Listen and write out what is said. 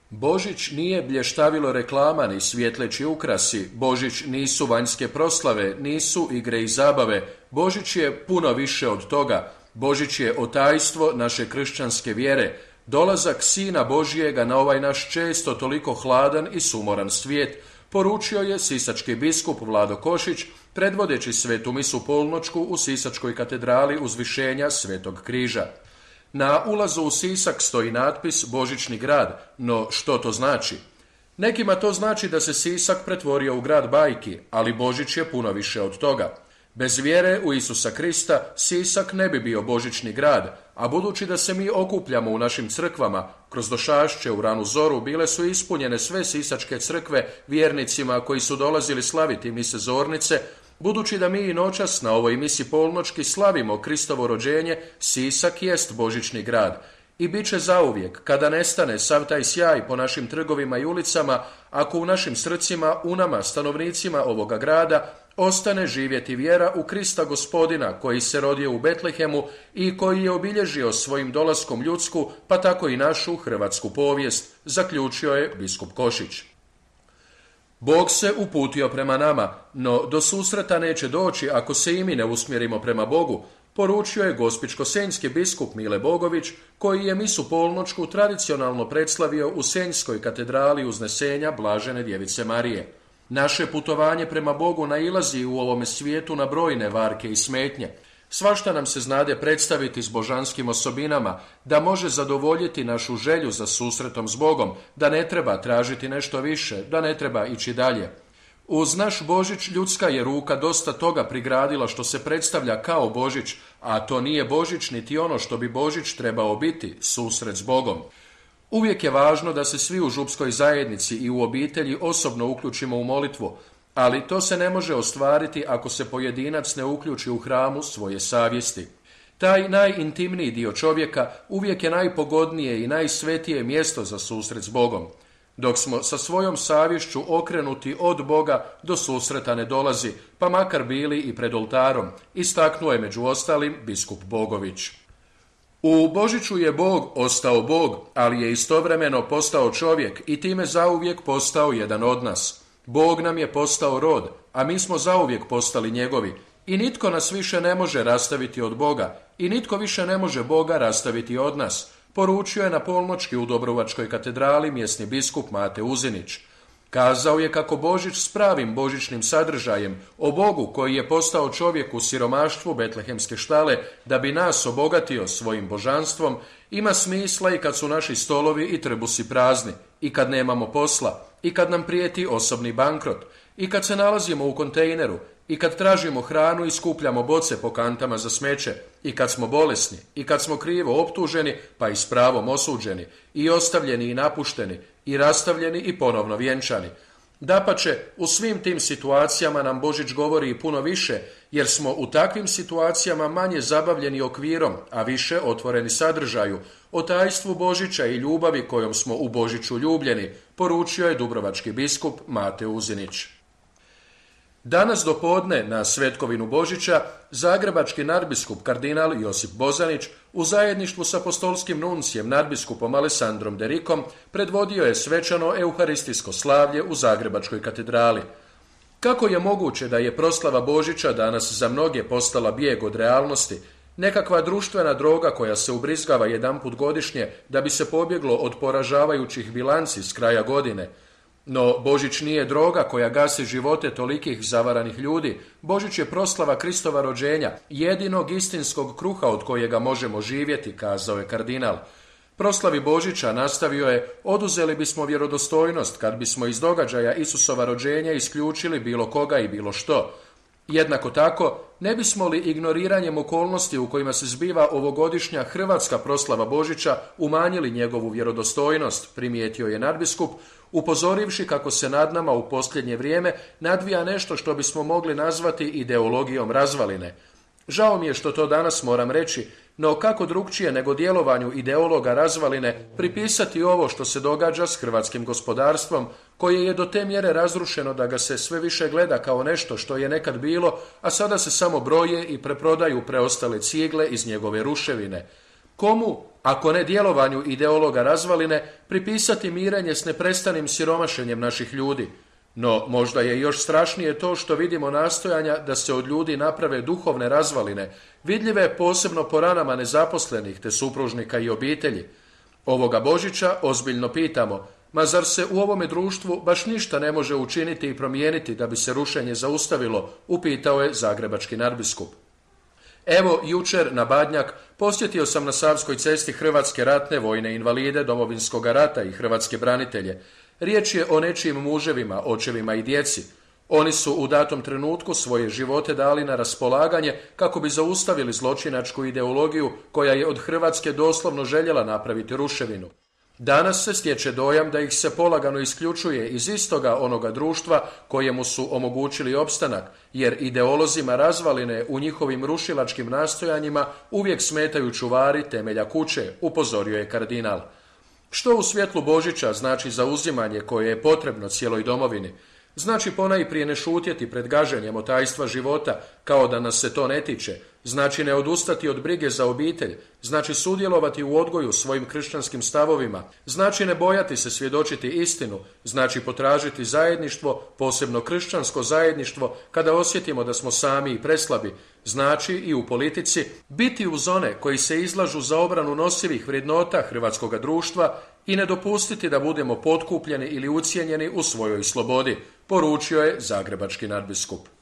Božić nije blještavilo reklama ni svjetleći ukrasi, Božić nisu vanjske proslave, nisu igre i zabave, Božić je puno više od toga, Božić je otajstvo naše kršćanske vjere, dolazak Sina Božijega na ovaj naš često toliko hladan i sumoran svijet, poručio je sisački biskup Vlado Košić, predvodeći svetu misu polnoćku u Sisačkoj katedrali Uzvišenja Svetog križa. Na ulazu u Sisak stoji natpis Božićni grad, no što to znači? Nekima to znači da se Sisak pretvorio u grad bajki, ali Božić je puno više od toga. Bez vjere u Isusa Krista Sisak ne bi bio Božićni grad, a budući da se mi okupljamo u našim crkvama, kroz došašće u ranu zoru bile su ispunjene sve sisačke crkve vjernicima koji su dolazili slaviti mise zornice. Budući da mi i noćas na ovoj misi polnoćki slavimo Kristovo rođenje, Sisak jest Božićni grad i bit će zauvijek, kada nestane sav taj sjaj po našim trgovima i ulicama, ako u našim srcima, u nama, stanovnicima ovoga grada, ostane živjeti vjera u Krista Gospodina koji se rodio u Betlehemu i koji je obilježio svojim dolaskom ljudsku, pa tako i našu hrvatsku povijest, zaključio je biskup Košić. Bog se uputio prema nama, no do susreta neće doći ako se i mi ne usmjerimo prema Bogu, poručio je gospićko-senjski biskup Mile Bogović, koji je misu polnoćku tradicionalno predslavio u Senjskoj katedrali Uznesenja Blažene Djevice Marije. Naše putovanje prema Bogu nailazi u ovome svijetu na brojne varke i smetnje. Svašta nam se znade predstaviti s božanskim osobinama, da može zadovoljiti našu želju za susretom s Bogom, da ne treba tražiti nešto više, da ne treba ići dalje. Uz naš Božić ljudska je ruka dosta toga prigradila što se predstavlja kao Božić, a to nije Božić niti ono što bi Božić trebao biti, susret s Bogom. Uvijek je važno da se svi u župskoj zajednici i u obitelji osobno uključimo u molitvu, ali to se ne može ostvariti ako se pojedinac ne uključi u hramu svoje savjesti. Taj najintimniji dio čovjeka uvijek je najpogodnije i najsvetije mjesto za susret s Bogom. Dok smo sa svojom savješću okrenuti od Boga, do susreta ne dolazi, pa makar bili i pred oltarom, istaknuo je među ostalim biskup Bogović. U Božiću je Bog ostao Bog, ali je istovremeno postao čovjek i time zauvijek postao jedan od nas. Bog nam je postao rod, a mi smo zauvijek postali njegovi i nitko nas više ne može rastaviti od Boga i nitko više ne može Boga rastaviti od nas, poručio je na polnoćki u Dobrovačkoj katedrali mjesni biskup Mate Uzinić. Kazao je kako Božić s pravim božićnim sadržajem o Bogu koji je postao čovjek u siromaštvu betlehemske štale da bi nas obogatio svojim božanstvom, ima smisla i kad su naši stolovi i trbusi prazni, i kad nemamo posla, i kad nam prijeti osobni bankrot, i kad se nalazimo u kontejneru, i kad tražimo hranu i skupljamo boce po kantama za smeće, i kad smo bolesni, i kad smo krivo optuženi, pa i s pravom osuđeni, i ostavljeni i napušteni, i rastavljeni i ponovno vjenčani. Dapače, u svim tim situacijama nam Božić govori i puno više, jer smo u takvim situacijama manje zabavljeni okvirom, a više otvoreni sadržaju, o tajstvu Božića i ljubavi kojom smo u Božiću ljubljeni, poručio je dubrovački biskup Mate Uzinić. Danas dopodne na svetkovinu Božića zagrebački nadbiskup kardinal Josip Bozanić u zajedništvu s apostolskim nuncijem nadbiskupom Alessandrom Derikom predvodio je svečano euharistijsko slavlje u Zagrebačkoj katedrali. Kako je moguće da je proslava Božića danas za mnoge postala bijeg od realnosti, nekakva društvena droga koja se ubrizgava jedanput godišnje da bi se pobjeglo od poražavajućih bilanci s kraja godine? No, Božić nije droga koja gasi živote tolikih zavaranih ljudi. Božić je proslava Kristova rođenja, jedinog istinskog kruha od kojega možemo živjeti, kazao je kardinal. Proslavi Božića, nastavio je, oduzeli bismo vjerodostojnost kad bismo iz događaja Isusova rođenja isključili bilo koga i bilo što. Jednako tako, ne bismo li ignoriranjem okolnosti u kojima se zbiva ovogodišnja hrvatska proslava Božića umanjili njegovu vjerodostojnost, primijetio je nadbiskup, upozorivši kako se nad nama u posljednje vrijeme nadvija nešto što bismo mogli nazvati ideologijom razvaline. Žao mi je što to danas moram reći, no kako drukčije nego djelovanju ideologa razvaline pripisati ovo što se događa s hrvatskim gospodarstvom, koje je do te mjere razrušeno da ga se sve više gleda kao nešto što je nekad bilo, a sada se samo broje i preprodaju preostale cigle iz njegove ruševine. Komu, ako ne djelovanju ideologa razvaline, pripisati mirenje s neprestanim siromašenjem naših ljudi? No, možda je još strašnije to što vidimo nastojanja da se od ljudi naprave duhovne razvaline, vidljive posebno po ranama nezaposlenih te supružnika i obitelji. Ovoga Božića ozbiljno pitamo, ma zar se u ovome društvu baš ništa ne može učiniti i promijeniti da bi se rušenje zaustavilo, upitao je zagrebački nadbiskup. Evo, jučer na Badnjak posjetio sam na Savskoj cesti hrvatske ratne vojne invalide Domovinskog rata i hrvatske branitelje. Riječ je o nečijim muževima, očevima i djeci. Oni su u datom trenutku svoje živote dali na raspolaganje kako bi zaustavili zločinačku ideologiju koja je od Hrvatske doslovno željela napraviti ruševinu. Danas se stječe dojam da ih se polagano isključuje iz istoga onoga društva kojemu su omogućili opstanak, jer ideolozima razvaline u njihovim rušilačkim nastojanjima uvijek smetaju čuvari temelja kuće, upozorio je kardinal. Što u svjetlu Božića znači zauzimanje koje je potrebno cijeloj domovini? Znači ponajprije ne šutjeti pred gaženjem otajstva života, kao da nas se to ne tiče. Znači ne odustati od brige za obitelj. Znači sudjelovati u odgoju svojim kršćanskim stavovima. Znači ne bojati se svjedočiti istinu. Znači potražiti zajedništvo, posebno kršćansko zajedništvo, kada osjetimo da smo sami i preslabi. Znači i u politici biti uz one koji se izlažu za obranu nosivih vrijednota hrvatskoga društva i ne dopustiti da budemo potkupljeni ili ucijenjeni u svojoj slobodi, poručio je zagrebački nadbiskup.